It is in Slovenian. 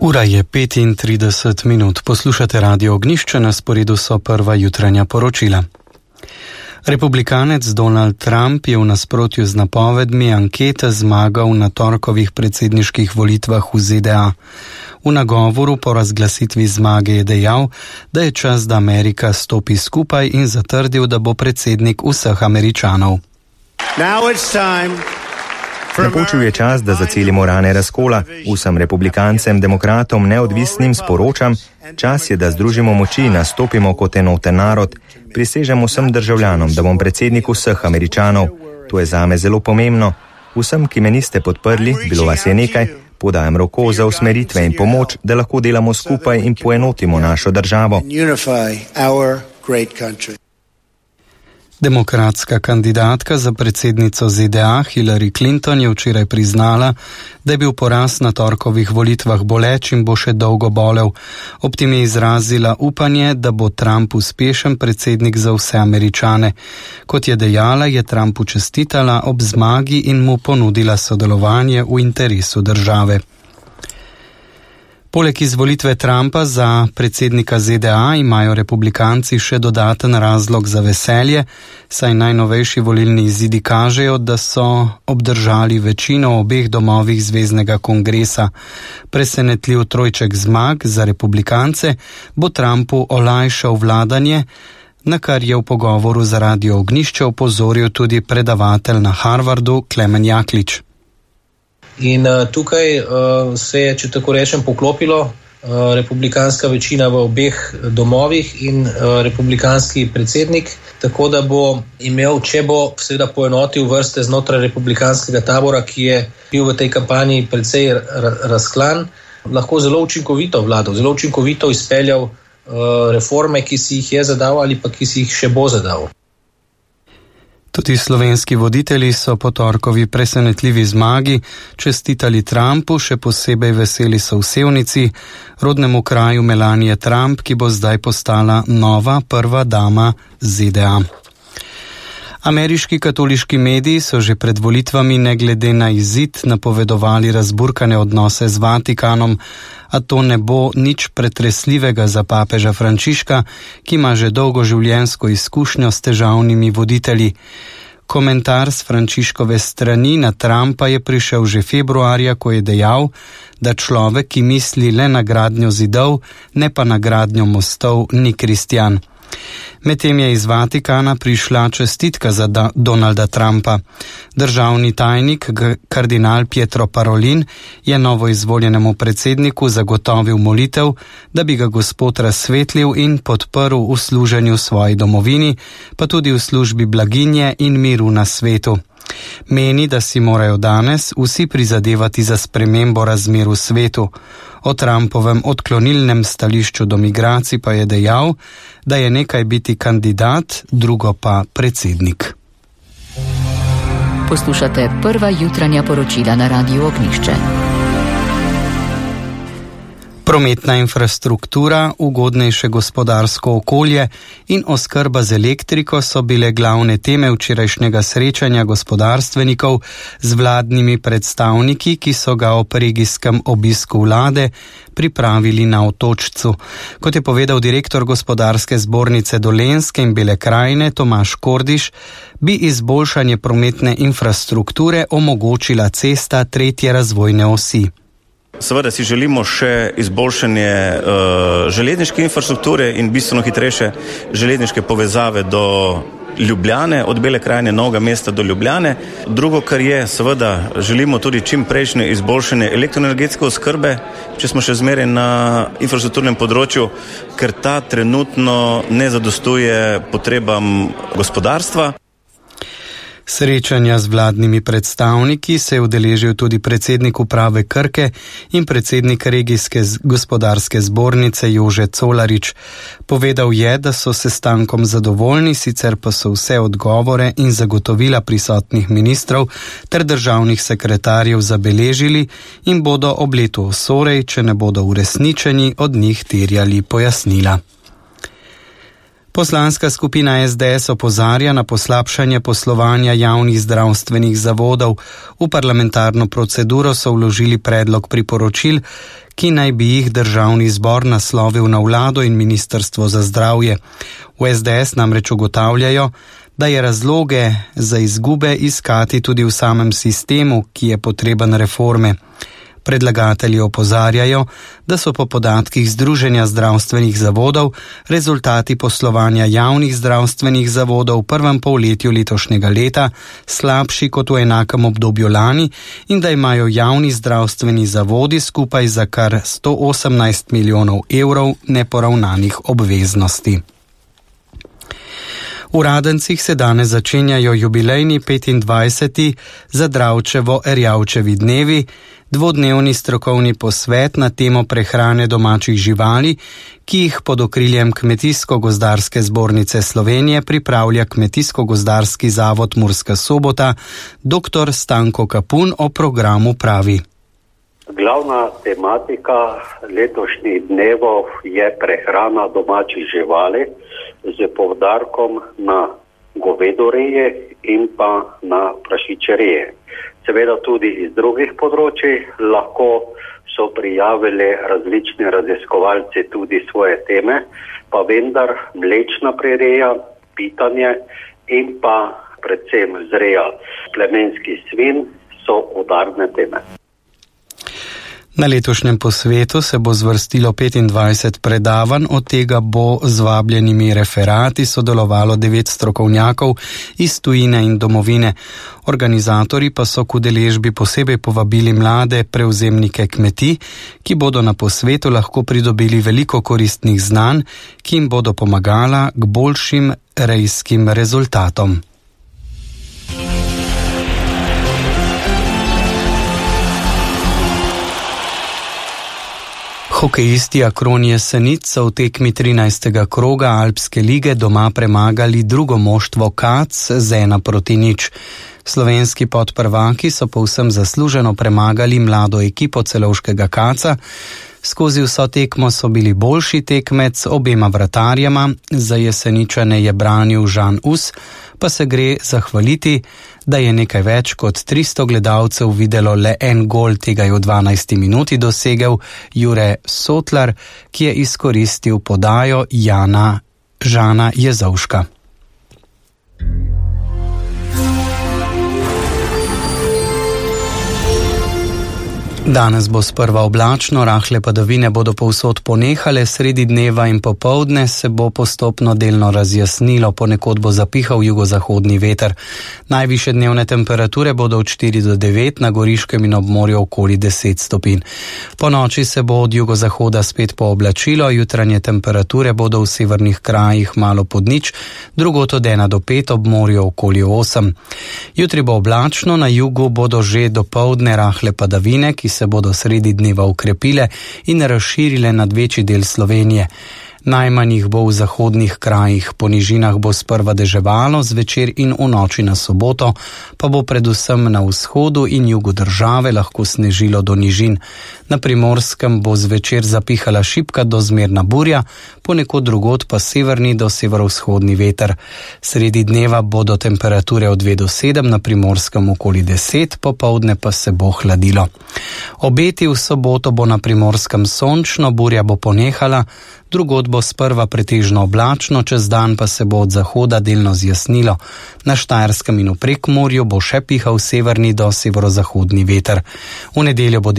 Ura je 35 minut. Poslušate Radio Ognjišče, na sporedu so prva jutranja poročila. Republikanec Donald Trump je v nasprotju z napovedmi ankete zmagal na torkovih predsedniških volitvah v ZDA. V nagovoru po razglasitvi zmage je dejal, da je čas, da Amerika stopi skupaj in zatrdil, da bo predsednik vseh Američanov. Napočil je čas, da zacelimo rane razkola. Vsem republikancem, demokratom, neodvisnim sporočam, čas je, da združimo moči, nastopimo kot enoten narod. Prisežem vsem državljanom, da bom predsednik vseh Američanov. To je zame zelo pomembno. Vsem, ki me niste podprli, bilo vas je nekaj, podajam roko za usmeritve in pomoč, da lahko delamo skupaj in poenotimo našo državo. Demokratska kandidatka za predsednico ZDA Hillary Clinton je včeraj priznala, da je bil poraz na torkovih volitvah boleč in bo še dolgo bolel. Ob tem je izrazila upanje, da bo Trump uspešen predsednik za vse Američane. Kot je dejala, je Trumpu čestitala ob zmagi in mu ponudila sodelovanje v interesu države. Poleg izvolitve Trumpa za predsednika ZDA imajo republikanci še dodaten razlog za veselje, saj najnovejši volilni izidi kažejo, da so obdržali večino v obeh domovih zveznega kongresa. Presenetljiv trojček zmag za republikance bo Trumpu olajšal vladanje, na kar je v pogovoru za Radio Ognjišče opozoril tudi predavatelj na Harvardu Klemen Jaklič. In tukaj se je, če tako rečem, poklopilo republikanska večina v obeh domovih in republikanski predsednik, tako da bo imel, če bo seveda poenotil vrste znotraj republikanskega tabora, ki je bil v tej kampanji precej razklan, lahko zelo učinkovito vladal, zelo učinkovito izpeljal reforme, ki si jih je zadal ali pa ki si jih še bo zadal. Tudi slovenski voditelji so po torkovi presenetljivi zmagi čestitali Trumpu, še posebej veseli so v Sevnici, rodnemu kraju Melanie Trump, ki bo zdaj postala nova prva dama ZDA. Ameriški katoliški mediji so že pred volitvami ne glede na izid napovedovali razburkane odnose z Vatikanom, a to ne bo nič pretresljivega za papeža Frančiška, ki ima že dolgo življenjsko izkušnjo s težavnimi voditelji. Komentar s Frančiškove strani na Trumpa je prišel že februarja, ko je dejal, da človek, ki misli le na gradnjo zidov, ne pa na gradnjo mostov, ni kristjan. Medtem je iz Vatikana prišla čestitka za Donalda Trumpa. Državni tajnik, kardinal Pietro Parolin, je novoizvoljenemu predsedniku zagotovil molitev, da bi ga Gospod razsvetlil in podprl v služenju svoji domovini, pa tudi v službi blaginje in miru na svetu. Meni, da si morajo danes vsi prizadevati za spremembo razmer v svetu. O Trumpovem odklonilnem stališču do migracij pa je dejal, da je nekaj biti kandidat, drugo pa predsednik. Poslušate prva jutranja poročila na Radiu Ognjišče. Prometna infrastruktura, ugodnejše gospodarsko okolje in oskrba z elektriko so bile glavne teme včerajšnjega srečanja gospodarstvenikov z vladnimi predstavniki, ki so ga ob regijskem obisku vlade pripravili na Otočcu. Kot je povedal direktor gospodarske zbornice Dolenjske in Bele krajine Tomaž Kordiš, bi izboljšanje prometne infrastrukture omogočila cesta 3. razvojne osi. Seveda si želimo še izboljšanje železniške infrastrukture in bistveno hitrejše železniške povezave do Ljubljane, od Bele krajine, Novega mesta do Ljubljane. Drugo, kar je, seveda želimo tudi čim prejšnje izboljšanje elektroenergetske oskrbe, če smo še zmeraj na infrastrukturnem področju, ker ta trenutno ne zadostuje potrebam gospodarstva. Srečanja z vladnimi predstavniki se je udeležil tudi predsednik uprave Krke in predsednik regijske gospodarske zbornice Jože Colarič. Povedal je, da so sestankom zadovoljni, sicer pa so vse odgovore in zagotovila prisotnih ministrov ter državnih sekretarjev zabeležili in bodo ob letu osorej, če ne bodo uresničeni, od njih terjali pojasnila. Poslanska skupina SDS opozarja na poslabšanje poslovanja javnih zdravstvenih zavodov. V parlamentarno proceduro so vložili predlog priporočil, ki naj bi jih državni zbor naslovil na vlado in ministrstvo za zdravje. V SDS namreč ugotavljajo, da je razloge za izgube iskati tudi v samem sistemu, ki je potreben reforme. Predlagatelji opozarjajo, da so po podatkih Združenja zdravstvenih zavodov rezultati poslovanja javnih zdravstvenih zavodov v prvem polletju letošnjega leta slabši kot v enakem obdobju lani in da imajo javni zdravstveni zavodi skupaj za kar 118 milijonov evrov neporavnanih obveznosti. V Radencih se danes začenjajo jubilejni 25. Zadravčevo-Erjavčevi dnevi, dvodnevni strokovni posvet na temo prehrane domačih živali, ki jih pod okriljem Kmetijsko-gozdarske zbornice Slovenije pripravlja Kmetijsko-gozdarski zavod Murska Sobota. Dr. Stanko Kapun o programu pravi. Glavna tematika letošnjih dnevov je prehrana domačih živali z poudarkom na govedoreje in pa na prašičereje. Seveda tudi iz drugih področij lahko so prijavili različni raziskovalci tudi svoje teme, pa vendar mlečna prireja, pitanje in pa predvsem vzreja plemenskih svin so udarne teme. Na letošnjem posvetu se bo zvrstilo 25 predavanj, od tega bo z vabljenimi referati sodelovalo 9 strokovnjakov iz tujine in domovine. Organizatorji pa so k udeležbi posebej povabili mlade prevzemnike kmetij, ki bodo na posvetu lahko pridobili veliko koristnih znanj, ki jim bodo pomagala k boljšim rejskim rezultatom. Hokejisti Akron Jesenic so v tekmi 13. kroga Alpske lige doma premagali drugo moštvo Kac z 1-0. Slovenski podprvaki so povsem zasluženo premagali mlado ekipo celovškega Kaca. Skozi vso tekmo so bili boljši tekmec obema vratarjema, za Jeseničane je branil Žan Us, pa se gre zahvaliti, da je nekaj več kot 300 gledalcev videlo le en gol, tega je v 12. minuti dosegel Jure Sotlar, ki je izkoristil podajo Žana Jezovška. Danes bo sprva oblačno, rahle padavine bodo povsod ponehale, sredi dneva in popoldne se bo postopno delno razjasnilo, ponekod bo zapihal jugozahodni veter. Najvišje dnevne temperature bodo od 4 do 9, na Goriškem in ob morju okoli 10 stopinj. Po noči se bo od jugozahoda spet pooblačilo, jutranje temperature bodo v severnih krajih malo pod nič, drugod od 1 do 5, ob morju okoli 8. Jutri bo oblačno, na jugu bodo že dopoldne rahle padavine, ki se bodo sredi dneva ukrepile in razširile nad večji del Slovenije. Najmanj jih bo v zahodnih krajih, po nižinah bo sprva deževalo, zvečer in v noči na soboto pa bo predvsem na vzhodu in jugu države lahko snežilo do nižin. Na Primorskem bo zvečer zapihala šibka do zmerna burja, ponekod drugod pa severni do severovzhodni veter. Sredi dneva bodo temperature od 2 do 7, na Primorskem okoli 10, popoldne pa se bo hladilo. Obeti v soboto bo na Primorskem sončno, burja bo ponehala, drugod bo sprva pretežno oblačno, čez dan pa se bo od zahoda delno zjasnilo. Na Štajerskem in v Prekmurju bo še pihal severni do severozahodni veter. V nedeljo bo